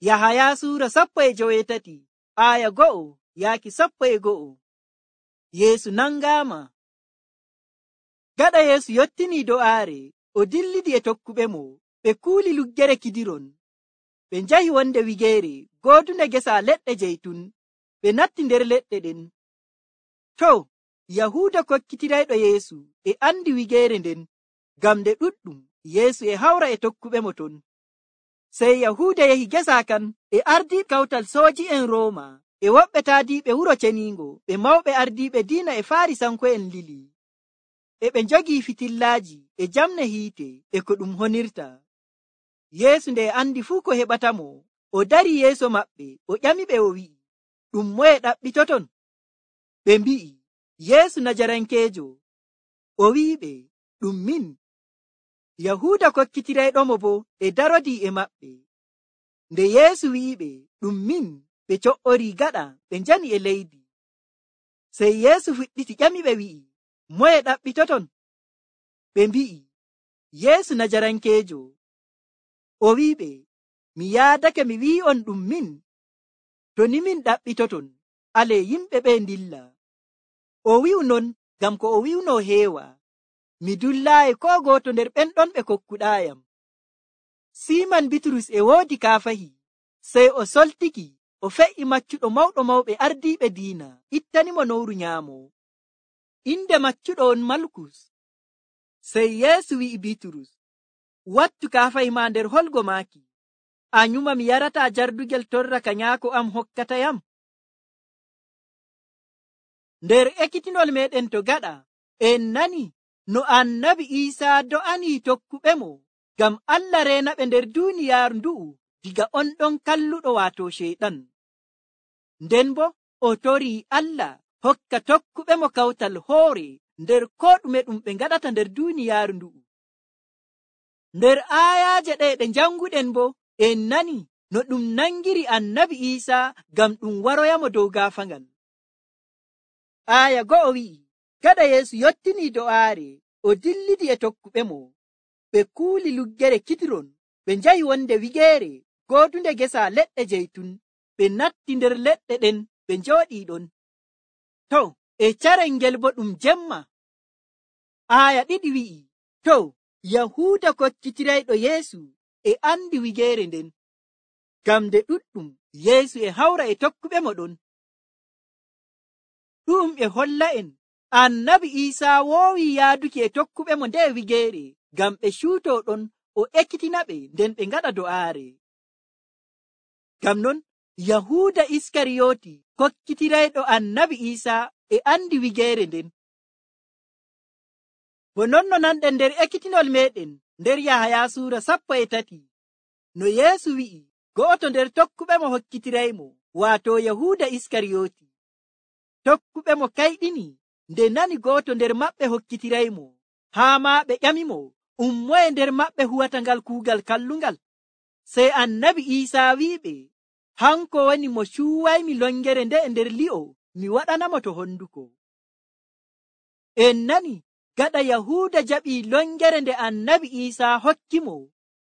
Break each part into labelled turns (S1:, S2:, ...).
S1: Yahaya suura 17 aya 1 yaaki 11. Yeesu nangaama. Gaɗa Yeesu yottinii do'aare, o dillidi e tokkuɓe mo. Ɓe kuuli luggere Kidiron. Ɓe njahi wonde wigeere goodunde gesa leɗɗe jeytun. Ɓe natti nder leɗɗe ɗen. Yahuuda kokkitirayɗo Yeesu e andi wigeere nden, ngam nde ɗuɗɗum. Yeesu e hawra e tokkuɓe mo ton. Sey Yahuuda yehi gesa kan e ardiiɓe kawtal sooji'en Rooma e woɓɓe taadiiɓe wuro ceniingo. Ɓe mawɓe ardiiɓe diina e Faarisanko'en lili. E ɓe njogii fitillaaji e jamne hiite e ko ɗum honirta. Yeesu nde andi fuu ko heɓatamo, o darii yeeso maɓɓe, o ƴamiɓe o wi'i, ɗum moye ɗaɓɓitoton? Ɓe mbi'i, Yeesu Najarankeejo. O wi'iɓe, ɗum min. Yahuuda kokkitirayɗomo boo e darodii e maɓɓe. Nde Yeesu wi'iɓe, ɗum min, ɓe co'orii gaɗa ɓe njani e leydi. Sey Yeesu fuɗɗiti ƴamiɓe wi'i, moye ɗaɓɓitoton? Ɓe mbi'i, Yeesu Najarankeejo. O wi'iɓe, mi yaadake mi wi'i'on ɗum min. To ni min ɗaɓɓitoton, alee yimɓe ɓe ndilla. O wi'u non ngam ko o wi'unoo heewa. Mi dullaayi koo gooto nder ɓen ɗon ɓe kokkuɗaayam. Siiman Bitrus e woodi kaafahi, sey o soltiki, o fe'i maccuɗo mawɗo mawɓe ardiiɓe diina, ittanimo nowru nyaamo. Inde maccuɗo on Malkus. Sey Yeesu wi'i Bitrus, wattu kaafahi maa nder holgo maaki. A nyuma mi yarataa jardugel torra ka nyaako am hokkatayam? Nder ekkitinol meɗen to gaɗa, en nani no Annabi Iisaa do'anii tokkuɓe mo ngam Allah reena ɓe nder duuniyaaru ndu'u diga on ɗon kalluɗo waato Ceyɗan. Nden bo o torii Allah hokka tokkuɓe mo kawtal hoore nder koo ɗume ɗum ɓe ngaɗata nder duuniyaaru ndu'u. Nder aayaaje ɗe ɗe njanguɗen bo en nani no ɗum nangiri Annabi Iisaa ngam ɗum waroyamo dow gaafaangal. Aaya 1 wi'i, gaɗa Yeesu yottinii do'aare, o dillidi e tokkuɓe mo. Ɓe kuuli luggere Kidiron. Ɓe njahi wonde wigeere goodunde gesa leɗɗe jeytun. Ɓe natti nder leɗɗe ɗen ɓe njooɗii ɗon. E carel ngel bo ɗum jemma. Aaya 2 wi'i, Yahuuda kokkitirayɗo Yeesu e andi wigeere nden. Ngam nde ɗuɗɗum, Yeesu e hawra e tokkuɓe mo ɗon. Ɗum e holla en Annabi Iisaa woowii yaaduki e tokkuɓe mo nde wigeere ngam ɓe cuutoo ɗon o ekkitina ɓe nden ɓe ngaɗa do'aare. Ngam non Yahuuda Iskariyooti kokkitirayɗo Annabi Iisaa e andi wigeere nden. Bo non no nanɗen nder ekkitinol meɗen nder Yahaya suura 13 no Yeesu wi'i go'oto nder tokkuɓe mo hokkitiraymo, waato Yahuuda Iskariyooti. Tokkuɓe mo kayɗini nde nani go'oto nder maɓɓe hokkitiraymo, haa maa ɓe ƴamimo, moye nder maɓɓe huwata ngal kuugal kallungal? Sey Annabi Iisaa wi'iɓe, hanko woni mo cuuwaymi longere nde e nder li'o, mi waɗanamo to honduko. En nani gaɗa Yahuuda jaɓii longere nde Annabi Iisaa hokkimo,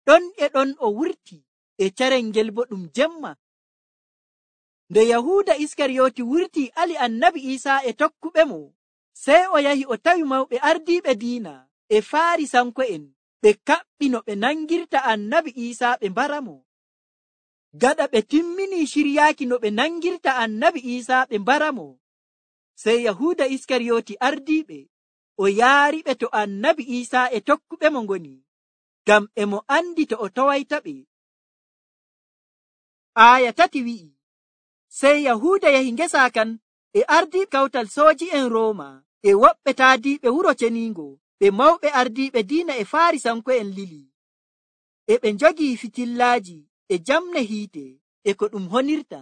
S1: ɗon e ɗon o wurti e carel ngel bo ɗum jemma. Nde Yahuuda Iskariyooti wurti ali Annabi Iisaa e tokkuɓe mo, sey o yahi o tawi mawɓe ardiiɓe diina e Faarisanko'en ɓe kaɓɓi no ɓe nangirta Annabi Iisaa ɓe mbaramo. Gaɗa ɓe timminii ciryaaki no ɓe nangirta Annabi Iisaa ɓe mbaramo, sey Yahuuda Iskariyooti ardiiɓe o yaariɓe to Annabi Iisaa e tokkuɓe mo ngoni, ngam e mo andi to o towayta ɓe. Aaya 3 wi'i, sey Yahuuda yahi ngesa kan e ardiiɓe kawtal sooji'en Rooma e woɓɓe taadiiɓe wuro ceniingo, ɓe mawɓe ardiiɓe diina e Faarisanko'en lili. E ɓe njogii fitillaaji e jamne hiite e ko ɗum honirta.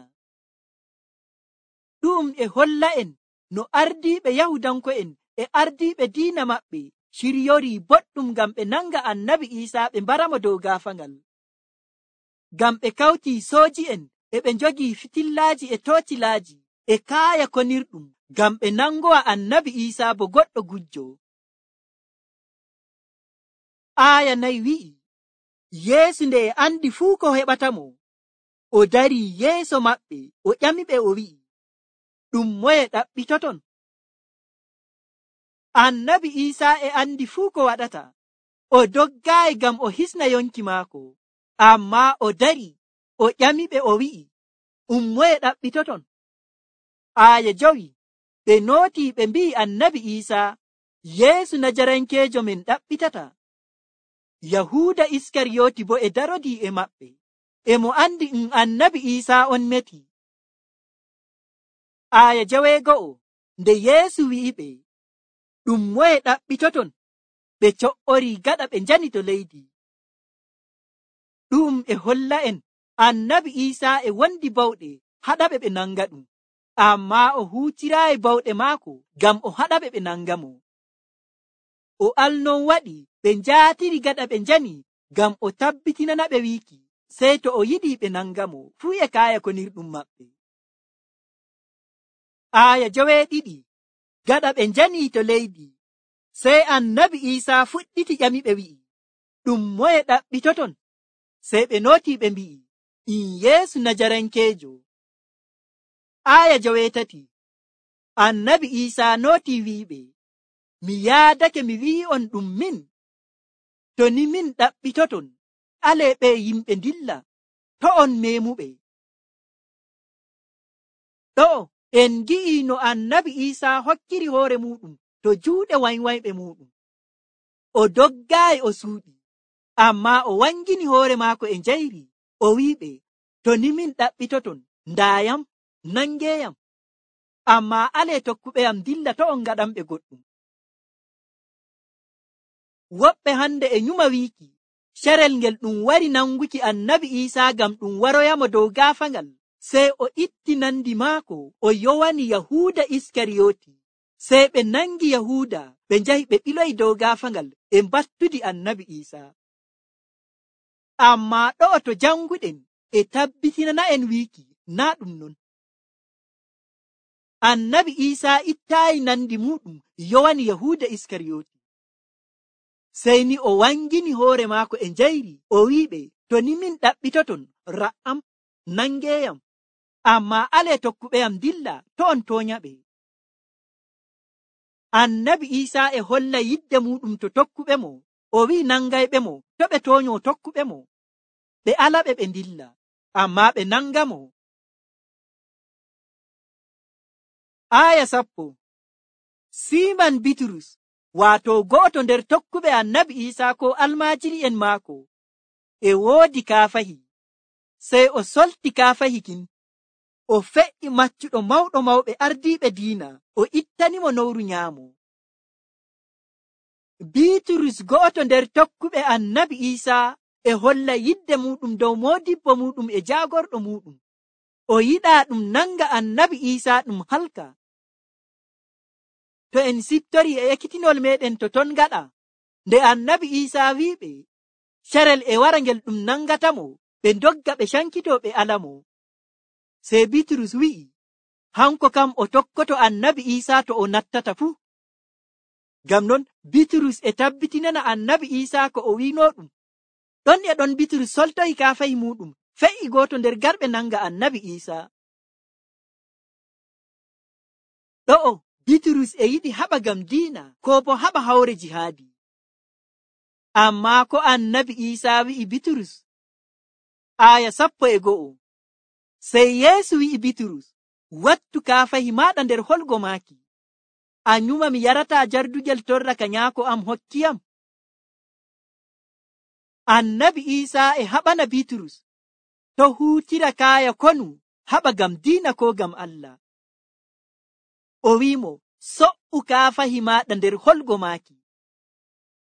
S1: Ɗum e holla en no ardiiɓe Yahudanko'en e ardiiɓe diina maɓɓe ciryorii boɗɗum ngam ɓe nanga Annabi Iisaa ɓe mbaramo dow gaafaangal. Ngam ɓe kawtii sooji'en e ɓe njogii fitillaaji e toocilaaji e kaaya konirɗum ngam ɓe nangowa Annabi Iisaa bo goɗɗo gujjo. Aaya 4 wi'i, Yeesu nde e andi fuu ko heɓatamo, o dari yeeso maɓɓe o ƴamiɓe o wi'i, ɗum moye ɗaɓɓitoton? Annabi Iisaa e andi fuu ko waɗata. O doggaayi ngam o hisna yonki maako, ammaa o dari o ƴamiɓe o wi'i, ɗum moye ɗaɓɓitoton? Aaya 5 ɓe nootii ɓe mbi'i Annabi Iisaa, Yeesu Najarankeejo men ɗaɓɓitata. Yahuuda Iskariyooti bo e darodii e maɓɓe, e mo andi Annabi Iisaa on meti. Aaya 6 nde Yeesu wi'iɓe, ɗum moye ɗaɓɓitoton? Ɓe co'orii gaɗa ɓe njani to leydi. Ɗum e holla en Annabi Iisaa e wondi bawɗe haɗaɓe ɓe nanga ɗum, ammaa o huutiraayi bawɗe maako ngam o haɗaɓe ɓe nanga mo. O alnon waɗi ɓe njaatiri gaɗa ɓe njani ngam o tabbitinanaɓe wiiki, sey to o yiɗi ɓe nanga mo fuu e kaaya konirɗum maɓɓe. Aaya 7 gaɗa ɓe njanii to leydi, sey Annabi Iisaa fuɗɗiti ƴamiɓe wi'i, ɗum moye ɗaɓɓitoton? Sey ɓe nootii ɓe mbi'i, in Yeesu Najarankeejo. Aaya 8 Annabi Iisaa nootii wi'iɓe, mi yaadake mi wi'i'on ɗum min. To ni min ɗaɓɓitoton, alee ɓe yimɓe ndilla, to on meemuɓe. Ɗo'o en ngi'i no Annabi Iisaa hokkiri hoore muɗum to juuɗe wanywanyɓe muɗum. O doggaayi o suuɗi, ammaa o wangini hoore maako e njayri, o wi'iɓe, to ni min ɗaɓɓitoton, ndaayam, nangeeyam. Ammaa alee tokkuɓeyam dilla to on ngaɗamɓe goɗɗum. Woɓɓe hande e nyuma wiiki, carel ngel ɗum wari nanguki Annabi Iisaa ngam ɗum waroyamo dow gaafangal, sey o itti nandi maako o yowani Yahuuda Iskariyooti. Sey ɓe nangi Yahuuda ɓe njahi ɓe ɓiloyi dow gaafangal e mbattudi Annabi Iisaa. Ammaa ɗo'o to janguɗen e tabbitinana'en wiiki naa ɗum non. Annabi Iisaa ittaayi nandi muɗum yowani Yahuuda Iskariyooti. Sey ni o wangini hoore maako e njayri, o wi'iɓe, to ni min ɗaɓɓitoton, ra'am, nangeeyam, ammaa alee tokkuɓeyam dilla to on tooñaɓe. Annabi Iisaa e holla yidde muɗum to tokkuɓe mo, o wi'i nangayɓe mo to ɓe tooño tokkuɓe mo, ɓe alaɓe ɓe dilla, ammaa ɓe nanga mo. Aaya 10 Siiman Bitrus, waato go'oto nder tokkuɓe Annabi Iisaa ko almaajiri'en maako, e woodi kaafahi. Sey o solti kaafahi kin, o fe'i maccuɗo mawɗo mawɓe ardiiɓe diina, o ittanimo nowru nyaamo. Bitrus go'oto nder tokkuɓe Annabi Iisaa e holla yidde muɗum dow moodibbo muɗum e jaagorɗo muɗum. O yiɗaa ɗum nanga Annabi Iisaa ɗum halka. To en siftori e ekkitinol meɗen to ton gaɗa, nde Annabi Iisaa wi'iɓe, carel e wara ngel ɗum nangatamo, ɓe ndogga ɓe cankito ɓe alamo. Sey Bitrus wi'i, hanko kam o tokkoto Annabi Iisaa to o nattata fuu. Ngam non Bitrus e tabbitinana Annabi Iisaa ko o wiino ɗum. Ɗon e ɗon Bitrus soltoyi kaafahi muɗum, fe'i gooto nder garɓe nanga Annabi Iisaa. Ɗo'o Bitrus e yiɗi haɓa ngam diina, ko bo haɓa hawre jihaadi. Ammaa ko Annabi Iisaa wi'i Bitrus. Aaya 11 Sey Yeesu wi'i Bitrus, wattu kaafahi maaɗa nder holgo maaki. A nyuma mi yarataa jardugel torra ka nyaako am hokkiyam. Annabi Iisaa e haɓana Bitrus to huutira kaaya konu haɓa ngam diina ko ngam Allah. O wi'imo, so'u kaafahi maaɗa nder holgo maaki.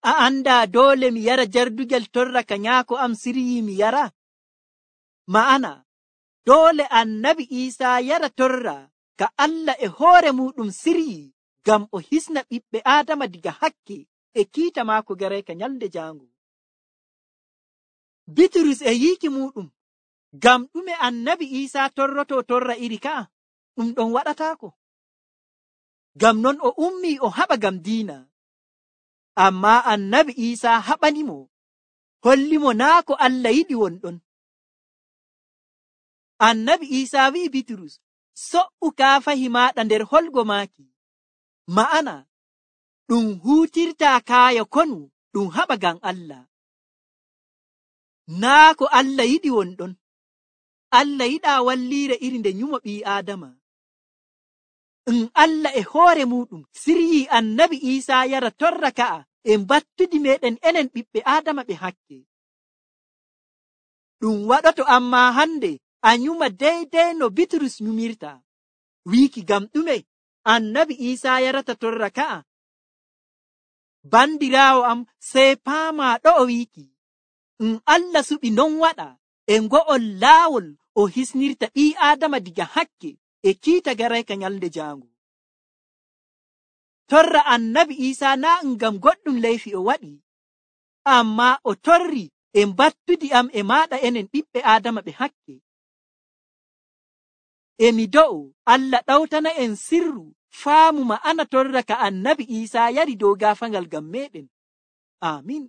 S1: A andaa doole mi yara jardugel torra ka nyaako am siryi mi yara? Ma'ana, doole Annabi Iisaa yara torra ka Allah e hoore muɗum siryi ngam o hisna ɓiɓɓe Aadama diga hakke e kiita maako garayka nyalde jaango. Bitrus e yiiki muɗum, ngam ɗume Annabi Iisaa torroto torra iri ka'a, ɗum ɗon waɗataako. Ngam non o ummii o haɓa ngam diina. Ammaa Annabi Iisaa haɓanimo, hollimo naa ko Allah yiɗi wonɗon. Annabi Iisaa wi'i Bitrus, so'u kaafahi maaɗa nder holgo maaki. Ma'ana, ɗum huutirtaa kaayo konu ɗum haɓa ngam Allah. Naa ko Allah yiɗi wonɗon. Allah yiɗaa walliire iri nde nyumo ɓii Aadama. Allah e hoore muɗum siryii Annabi Iisaa yara torra ka'a e battudi meɗen enen ɓiɓɓe Aadama ɓe hakke. Ɗum waɗoto ammaa hande a nyuma deydey no Bitrus nyumirta. Wiiki ngam ɗume Annabi Iisaa yarata torra ka'a? Bandiraawo am, sey paamaa ɗo o wiiki. Allah suɓi non waɗa e ngo'ol laawol o hisnirta ɓii Aadama diga hakke e kiita garayka nyalnde jaango. Torra Annabi Iisaa naa ngam goɗɗum leyfi o waɗi, ammaa o torri e battudi am e maaɗa enen ɓiɓɓe Aadama ɓe hakke. Emi do'o Allah ɗawtana en sirru faamu ma'ana torra ka Annabi Iisaa yari dow gaafaangal ngam meɗen. Amin.